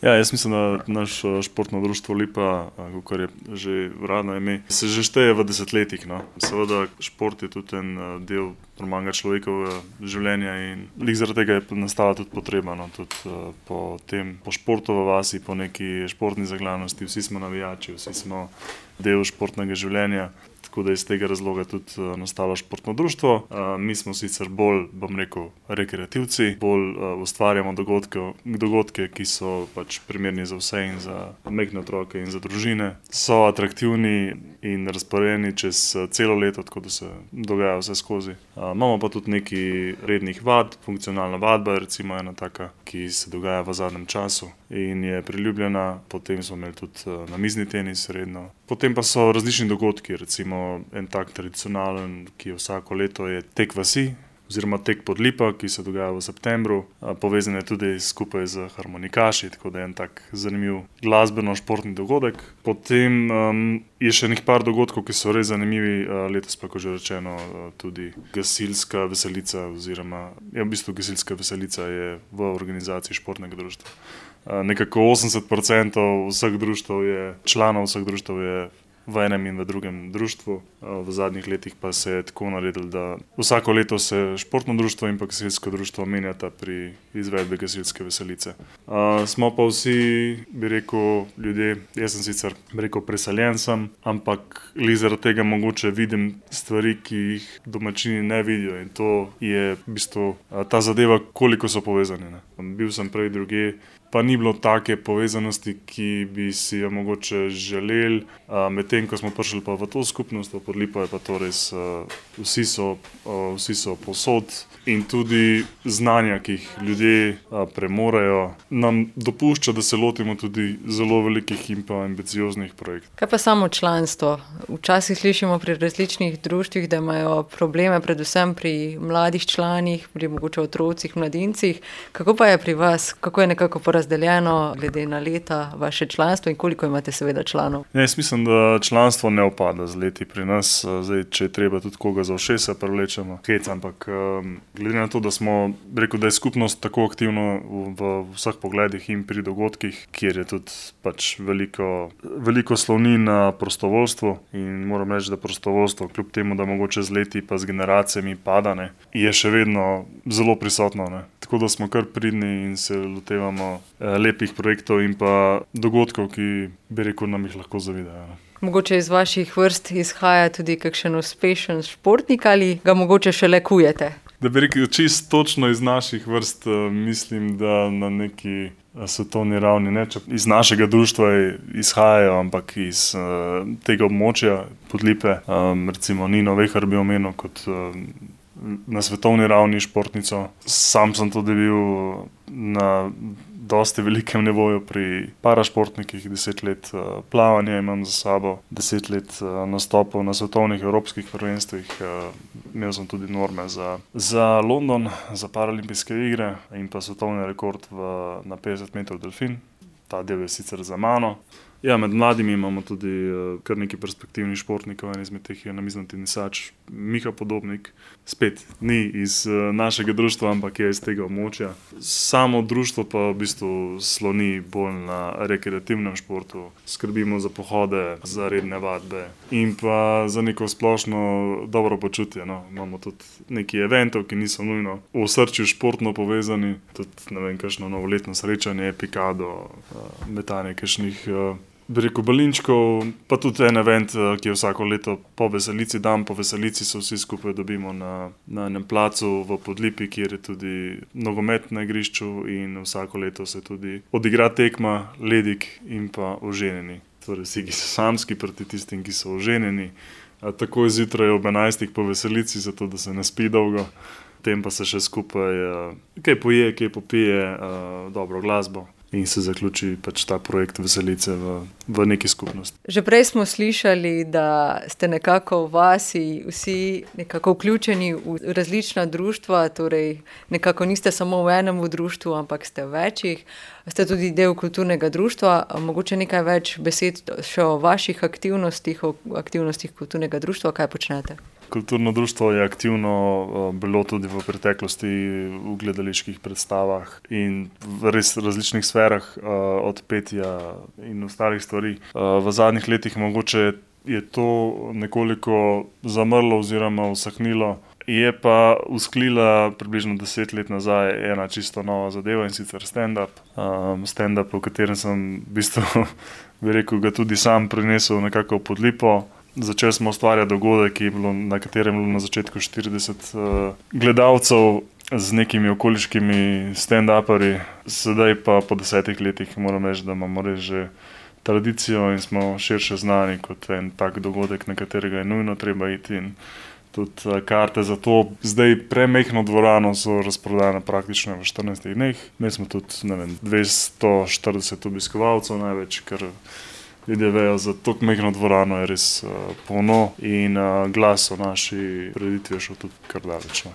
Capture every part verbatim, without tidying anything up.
Ja, jaz mislim, da naš športno društvo Lipa, kakor je že uradno ime, se že šteje v desetletjih, no. Seveda šport je tudi en del normalnega človekovega življenja in glih zaradi tega je nastala tudi potreba, no, tudi po tem, po športu v vasi, po neki športni zaglanosti, vsi smo navijači, vsi smo del športnega življenja. Tako da iz tega razloga tudi nastalo športno društvo. Mi smo sicer bolj, bom rekel, rekreativci, bolj ustvarjamo dogodke, dogodke, ki so pač primerni za vse in za majhne otroke in za družine. So atraktivni in razporejeni čez celo leto, tako da se dogaja vse skozi. Imamo pa tudi nekaj rednih vad, funkcionalna vadba je recimo ena taka, ki se dogaja v zadnjem času in je priljubljena. Potem smo imeli tudi namizni tenis redno. Potem pa so različni dogodki, recimo en tak tradicionalen, ki je vsako leto, je tek vasi oziroma tek pod Lipa, ki se dogaja v septembru. Povezan je tudi skupaj z harmonikaši, tako da je en tak zanimiv glasbeno-športni dogodek. Potem um, je še nekaj par dogodkov, ki so res zanimivi. Letos pa, kot že rečeno, tudi gasilska veselica oziroma, ja, v bistvu gasilska veselica je v organizaciji športnega društva. Nekako osemdeset procentov vseh društev je, članov vseh društev je v enem in v drugem društvu. V zadnjih letih pa se je tako naredilo, da vsako leto se športno društvo in pa gasilsko društvo menjata pri izvedbi gasilske veselice. Uh, smo pa vsi, bi rekel, ljudje, jaz sem sicer, bi rekel, preseljen sem, ampak glih zaradi tega mogoče vidim stvari, ki jih domačini ne vidijo in to je v bistvu ta zadeva, koliko so povezani, ne. Bil sem prej drugje, pa ni bilo take povezanosti, ki bi si jo mogoče želeli. Medtem ko smo prišli pa v to skupnost, v pod Lipo je pa to res, vsi so, vsi so povsod in tudi znanja, ki jih ljudje premorejo, nam dopušča, da se lotimo tudi zelo velikih in pa ambicioznih projektov. Kaj pa samo članstvo? Včasih slišimo pri različnih društvih, da imajo probleme predvsem pri mladih članih, pri mogoče otrocih, mladincih. Kako pa je pri vas? Kako je nekako porazdeljeno glede na leta vaše članstvo in koliko imate seveda članov? Ja, jaz mislim, da članstvo ne upada z leti pri nas. Zdaj, če je treba tudi koga za ušesa prevlečemo, hec, ampak glede na to, da smo, rekel, da je skupnost tako aktivna v, v vseh pogledih in pri dogodkih, kjer je tudi pač veliko, veliko slovni na prostovoljstvo in moram reči, da prostovoljstvo, kljub temu, da mogoče z leti pa z generacijami pada, ne, je še vedno zelo prisotno, ne. Tako da smo kar pridni in se lotevamo lepih projektov in pa dogodkov, ki, bi rekel, nam jih lahko zavidajo, ne. Mogoče iz vaših vrst izhaja tudi kakšen uspešen športnik ali ga mogoče šele kujete? Da bi rekel, čisto točno iz naših vrst, mislim, da na neki svetovni ravni ne, če iz našega društva izhajajo, ampak iz uh, tega območja pod Lipe. Um, recimo Nino Vehar bi omenil kot uh, na svetovni ravni športnico. Sam sem tudi bil na dosti velikem nivoju pri parašportnikih, deset let uh, plavanja imam za sabo, deset let uh, nastopov na svetovnih evropskih prvenstvih. Uh, imel sem tudi norme za, za London, za paralimpijske igre in pa svetovni rekord v, na petdeset metrov delfin. Ta del je sicer za mano. Ja, med mladimi imamo tudi uh, kar nekaj perspektivnih športnikov, en izmed teh je namizni tenisač Miha Podobnik. Spet ni iz uh, našega društva, ampak je iz tega območja. Samo društvo pa v bistvu sloni bolj na rekreativnem športu. Skrbimo za pohode, za redne vadbe in pa za neko splošno dobro počutje, no. Imamo tudi nekaj eventov, ki niso nujno v osrčju športno povezani. Tudi, ne vem, kakšno novoletno srečanje, pikado, uh, metanje kakšnih uh, bi rekel balinčkov, pa tudi en event, ki je vsako leto po veselici, dan po veselici se vsi skupaj dobimo na, na enem placu v Podlipi, kjer je tudi nogomet na igrišču in vsako leto se tudi odigra tekma ledik in pa oženjeni. Torej vsi, ki so samski proti tistim, ki so oženjeni, takoj zjutraj ob enajstih po veselici, zato da se ne spi dolgo. Potem pa se še skupaj kaj poje, kaj popije, dobro glasbo. In se zaključi pač ta projekt veselice v, v neki skupnosti. Že prej smo slišali, da ste nekako v vasi vsi nekako vključeni v različna društva, torej nekako niste samo v enem društvu, ampak ste v večjih. Ste tudi del kulturnega društva. Mogoče nekaj več besed še o vaših aktivnostih, o aktivnostih kulturnega društva, kaj počnete? Kulturno društvo je aktivno bilo tudi v preteklosti v gledaliških predstavah in v res različnih sferah, od petja in ostalih stvari. V zadnjih letih mogoče je to nekoliko zamrlo oziroma usahnilo. Je pa usklila približno deset let nazaj ena čisto nova zadeva, in sicer stand-up. Um, stand-up, v katerem sem v bistvu, bi rekel, ga tudi sam prinesel nekako pod lipo. Začeli smo ustvarjati dogodek, ki je bilo, na katerem je bilo na začetku štirideset uh, gledalcev z nekimi okoliškimi stand-uperji. Sedaj pa po desetih letih moram reči, da imamo res že tradicijo in smo širše znani kot en tak dogodek, na katerega je nujno treba iti. In tudi karte za to zdaj premejhno dvorano so razprodane praktično v štirinajstih dneh. Mi smo tudi, ne vem, dvesto štirideset obiskovalcev največ, ker ljudje vejo, za tako majhno dvorano je res uh, polno in uh, glas o naši prireditvi je šel tudi kar daleč.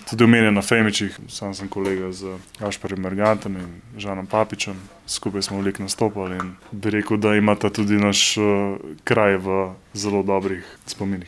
Tudi omenjen na Femičih, sam sem kolega z Gašperjem Mergantom in Žanom Papičem. Skupaj smo veliko nastopali in bi rekel, da imata tudi naš uh, kraj v zelo dobrih spominih.